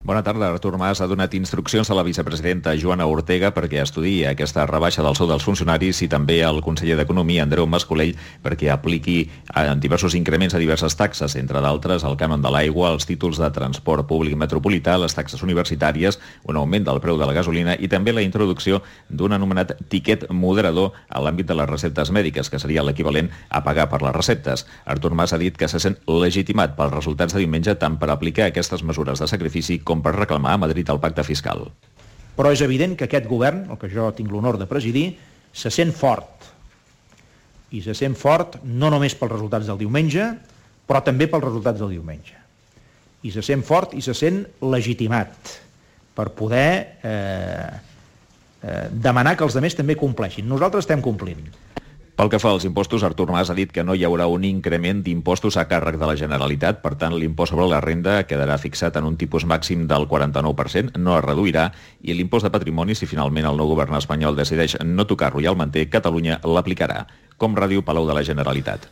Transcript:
Bona tarda. Artur Mas ha donat instruccions a la vicepresidenta Joana Ortega perquè estudiï aquesta rebaixa del sou dels funcionaris i també al conseller d'Economia, Andreu Mas-Colell, perquè apliqui diversos increments a diverses taxes, entre d'altres el cànon de l'aigua, els títols de transport públic metropolità, les taxes universitàries, un augment del preu de la gasolina i també la introducció d'un anomenat tiquet moderador a l'àmbit de les receptes mèdiques, que seria l'equivalent a pagar per les receptes. Artur Mas ha dit que se sent legitimat pels resultats de diumenge tant per aplicar aquestes mesures de sacrifici com per reclamar a Madrid el pacte fiscal. Però és evident que aquest govern, el que jo tinc l'honor de presidir, se sent fort. I se sent fort no només pels resultats del diumenge, però també pels resultats del diumenge. I se sent fort i se sent legitimat per poder demanar que els altres també compleixin. Nosaltres estem complint. Pel que fa als impostos, Artur Mas ha dit que no hi haurà un increment d'impostos a càrrec de la Generalitat, per tant l'impost sobre la renda quedarà fixat en un tipus màxim del 49%, no es reduirà, i l'impost de patrimoni, si finalment el nou govern espanyol decideix no tocar-lo i el manté, Catalunya l'aplicarà. Com Ràdio, Palau de la Generalitat.